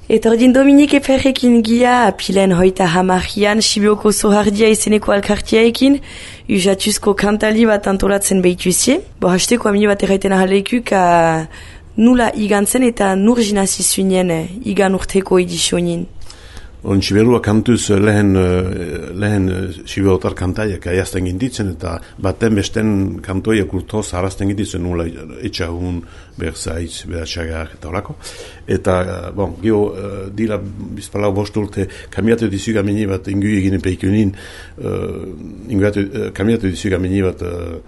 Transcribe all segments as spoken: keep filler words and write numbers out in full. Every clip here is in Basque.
Etordin Dominik Eperrekin gia apilen hoita hamahian Sibioko Zohardia izeneko alkartiaekin usatuzko kantali bat antolatzen behituzie. Bo hasteko amini bat erraiten ahalekuk nula igantzen eta nur jinazi zuinen igan urteko edizionin. On Siberua kantuz lehen, lehen Siberotar kantaiak aiazten ginditzen eta baten besten kantoiak urtoz harazten ginditzen nula etxahun, berzaitz, beratxagar eta horako. Eta, bon, geho, dira bizpalau bost urte kamiatu dizuga mini bat ingu eginen peikunin, uh, kamiatu dizuga mini bat uh,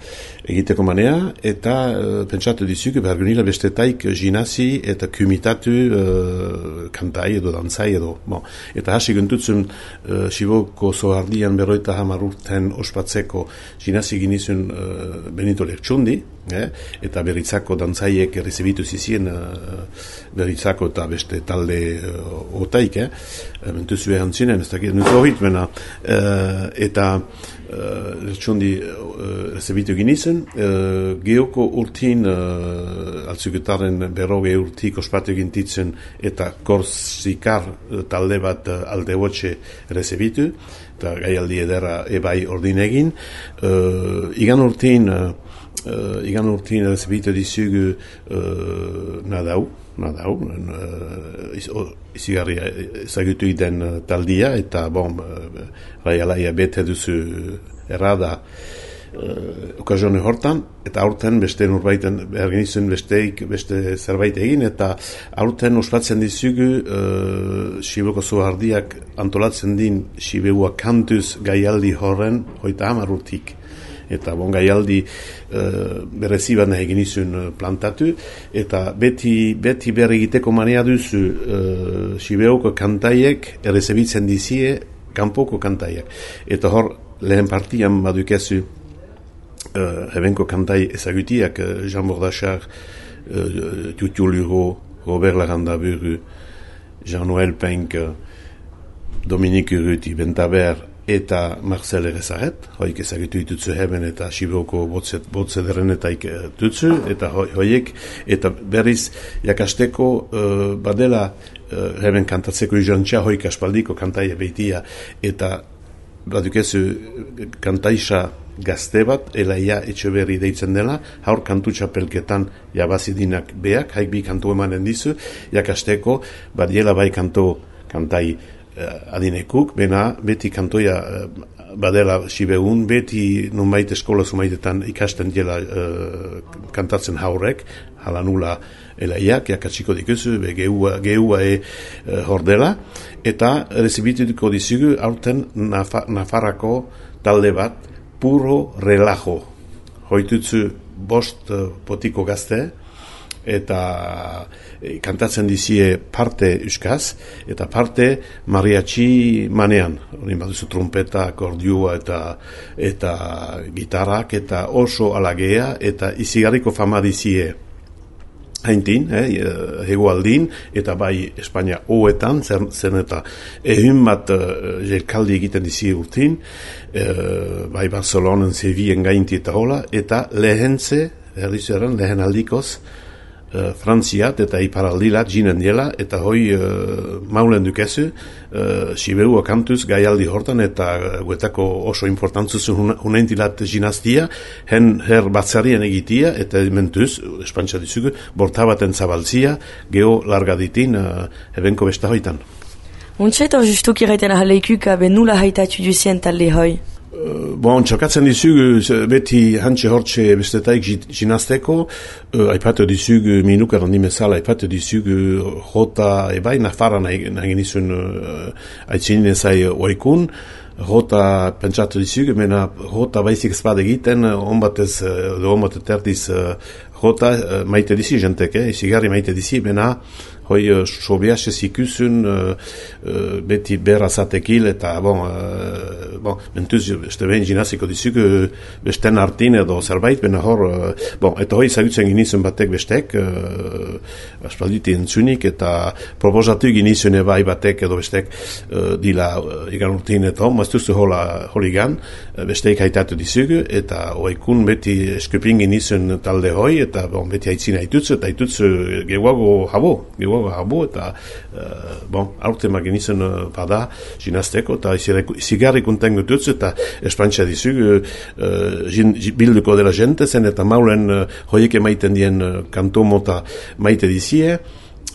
egiteko manea, eta uh, pentsatu dizuga bergunila bestetaik jinazi eta kumitatu uh, kantai edo dantzai edo. Bon. Eta hasi gentutzen uh, Siboko Zohardian berroita hamar urten ospatzeko jinazi ginizun uh, Benito Lertxundi, eh? Eta beritzako dantzaiek errezebitu zizien uh, beritzako eta beste talde uh, otaik, eh? Mentuzu egan zinen, ez dakit nuko horit, bena, uh, eta uh, Lertxundi uh, errezebitu ginizun, uh, geoko urtin uh, altzuketaren berroge urtik ospatu gintitzen eta Korsikar uh, talde bat uh, alde hotxe errezebitu, eta gaialdi edera ebai ordin egin. Uh, igan urtin uh, Uh, igan urtin errezebitu dizugu uh, nadau, nadau, uh, izigarri ezagutu iden uh, taldia, eta bon, uh, raialaia bete duzu errada uh, okazione hortan, eta aurten beste nurbaiten ergenizun besteik, beste zerbait egin, eta aurten ospatzen dizugu uh, Siboko Zohardiak antolatzen din Sibeua kantuz gaialdi horren hoita hamar urtik. Eta bon gaialdi uh, bereziban egin izun uh, plantatu, eta beti, beti berre egiteko manea duzu uh, Sibeoko kantaiek errezebitzen dizie kanpoko kantaiek. Eta hor lehen partian badukezu uh, hebenko kantai ezagutiak uh, Jean Bordachar, uh, Tutu Luro, Robert Larandaburu, Jean-Noël Penck, uh, Dominique Urruti, Bentaber, eta Marcel Erezaret, hoik ezagitu ditutzu heben eta Sibeoko botzederenetaik dutzu, eta hoiek, eta berriz jakasteko uh, badela uh, heben kantatzeko izantxa hoik aspaldiko kantaia behitia, eta badukezu kantaisa gazte bat, elaia etxeberri deitzen dela, haur kantu txapelketan jabazidinak beak, haik bi kantu emanen dizu, jakasteko badiela bai kanto kantai adinekuk, bena beti kantoia uh, badela Sibeun, beti nunbait eskola zumaitetan ikasten dela uh, kantatzen haurek, hala nula elaiak, jakatsiko dikuzu, be geua, geua e uh, hordela, eta rezibituko dizugu aurten Nafa, Nafarrako talde bat, puro relajo. Hoitutzu bost uh, potiko gazte, eta e, kantatzen dizie parte euskaz, eta parte mariachi manean. Horin baduzu trumpeta, akordiua eta, eta gitarrak, eta oso alagea, eta izigarriko fama dizie haintin, eh, hegoaldin, eta bai Espainia hoetan, zen, zen eta ehun bat uh, jelkaldi egiten dizie urtin, uh, bai Barcelonan, Sevien gainti eta hola, eta lehentze, erdizueran, lehen aldikoz, Uh, Frantziat eta iparaldilat jinen diela, eta hoi uh, maulen dukezu uh, Siberua kantuz gaialdi hortan, eta uh, guetako oso importantzuzun hunentilat jinaztia, hen her batzarien egitia, eta mentuz, espantza dizugu, bortabaten zabaltzia, geho larga ditin uh, ebenko besta hoitan. Untsa eta justuk irraiten ahaleikuk abe nula haitatu duzien talde hoi? Uh, bon, txokatzen dizugu, beti hantxe hortxe bestetaik jinazteko, uh, aipatu dizugu, minuk errandimezala, aipatu dizugu jota ebai, nafaran nagin izun uh, aitzinin ezai oikun, jota pentsatu dizugu, mena jota baizik ezpade egiten, onbatez, uh, onbatet erdiz uh, jota uh, maite dizi jentek, eh? Izigarri maite dizi, mena hoi uh, sobiaxe zikusun uh, uh, beti berrazatekil, eta bon, uh, bon mentuz, beste behin jinaziko dizugu besten artin edo zerbait, bena hor, uh, bon, eta hoi zagutzen ginizun batek bestek, uh, aspalditi entzunik, eta proposatu ginizun ebai batek edo bestek uh, dila uh, igan urtin eta hon, maztuzu hola holigan, uh, besteik haitatu dizugu, eta oikun beti eskupin ginizun talde hoi, eta bon, beti haitzina haitutzu, eta haitutzu gehuago habo, gehuago abo, abo, eta, uh, bon, aurten magin izan uh, bada, ginazteko, eta izigarri konten gututz, eta espantxa dizug, uh, bilduko dela jente zen, eta maulen uh, hoiek emaiten dien uh, kanto mota maite dizie,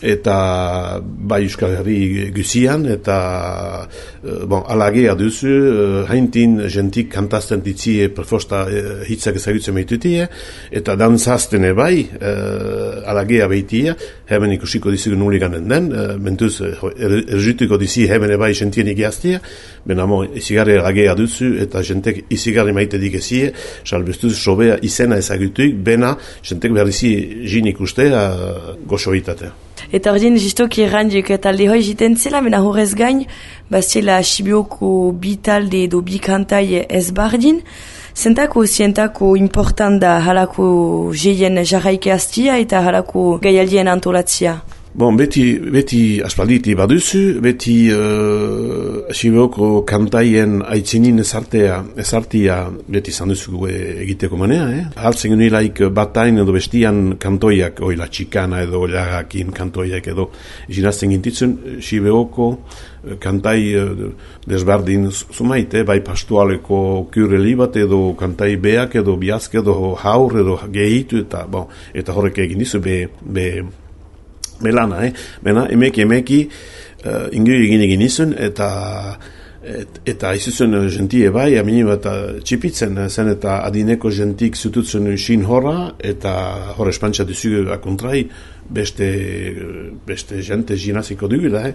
eta bai Euskal Herri guzian, eta uh, bon, alagea duzu, uh, haintin jentik kantazten ditzie prefosta uh, hitzak ezagutzen meitutie, eta dantzazten bai, uh, alagea behitia, hemen ikusiko dizigun nuli ganen den, uh, mentuz uh, erjutuko dizi hemen bai jentien igiaztia, benamo izigarri alagea duzu, eta jentek izigarri maite dikezie, salbestuz sobea izena ezagutuik, bena jentek berrizi jin ikustea uh, goxoitatea. Eta ordin, jistoki errandiek talde hoi jiten zela, mena horrez gain, baztela Sibioko bi talde edo bi kantai ez bardin, zentako zientako important da halako jeien jarraike hastia eta halako gaialdien antolatzia? Bon, beti, beti aspalditi baduzu, beti uh, Sibioko kantaien aitzinin ezartea, ezartia beti zanduzugu egiteko manea, eh? Haltzen genilaik batain edo bestian kantoiak, oila txikana edo lagakin kantoiak edo ginazten gintitzen, Sibioko kantai desberdin zumaite, bai pastualeko kureli bat edo kantai beak edo biazk edo haur edo gehitu eta, bon, eta horrek egin dizu be, be Melana, eh? Bena, emeki, emeki, uh, ingiri egin egin izun, eta et, eta izuzun jentie bai, amini bat txipitzen, zen eta adineko jentik zututzen xin horra, eta horre espantxa duzugu akontrai, beste, beste jente ginaziko dugula, eh?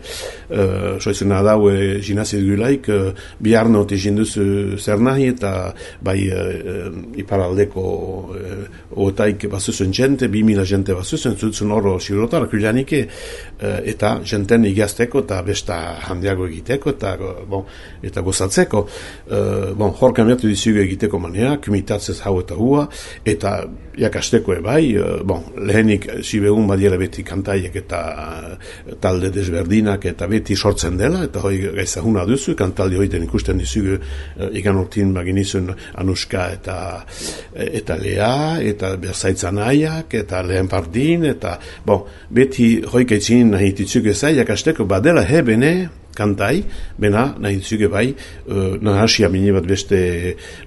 Uh, Soizuna daue ginazi dugulaik, uh, biharno te jinduzu zer nahi, eta bai uh, iparaldeko uh, otaik bazuzun jente, bi mila jente bazuzun, zutzen horro sirotar, kulianike, uh, eta jenten igazteko, eta besta handiago egiteko, eta, bon, eta gozatzeko. Uh, bon, hor kamertu dizugu egiteko manea, kumitatzez hau eta hua, eta jakasteko ebai, uh, bon, lehenik Sibeun badiela beti kantaiek eta uh, talde desberdinak eta beti sortzen dela, eta hoi gaizahuna duzu, kantaldi hoiten ikusten dizugu uh, ikan urtin baginizun Anuska eta eta Lea, eta Berzaitzan aiak, eta Lehen Pardin, eta bon, beti hoi gaitzinin nahi ditzugu ezai, jakasteko badela hebene, kantai, bena nahi ditzuge bai, uh, nahasia mini bat beste,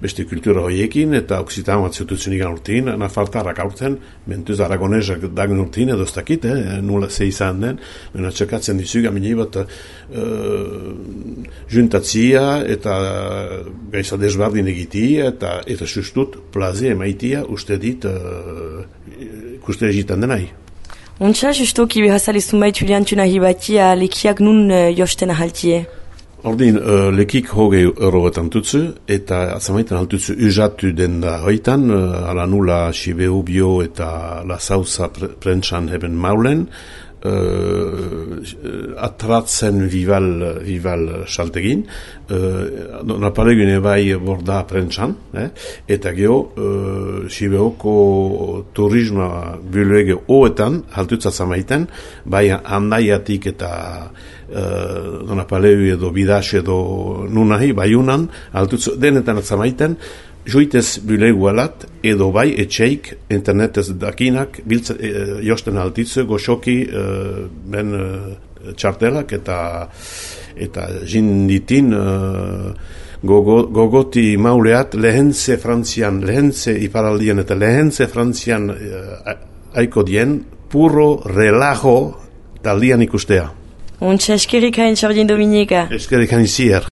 beste kultura hoiekin, eta oksitan bat zututzen ikan urtin, nafartarrak aurten, mentuz aragonezak dagun urtin, edo ez dakit, eh, nula ze izan den, bena txekatzen ditzuge mini bat uh, juntatzia, eta gaiza desbardin egitia, eta, eta sustut plaze emaitia, uste dit, uh, ikuste egitan denai. Ontsa, justoki behazalizun baitu liantu nahi batia lekiak nun uh, josten ahaltie? Ordin, uh, lekik hogei euro batan tutzu, eta atzamaitan haltutzu uzatu den da hoitan, uh, ala nula Sibeu bio eta la sauza pre prentsan heben maulen, uh, atratzen vival, vival saltegin, uh, napalegune bai borda prentsan, eh? Eta geho, uh, Sibeoko turisma biluege oetan, haltutza zamaiten, bai handaiatik eta uh, donapaleu edo bidas edo nunahi, baiunan, altutzu denetan atzamaiten, joitez bilegu alat, edo bai etxeik, internetez dakinak, biltza, e, josten altitzu, goxoki, e, ben e, txartelak, eta eta jinditin e, gogo, gogoti mauleat lehentze frantzian, lehentze iparaldien eta lehentze frantzian e, aiko dien, puro relajo taldian ikustea. Ontsa eskerikain, Xordin Dominika. Eskerikain zier.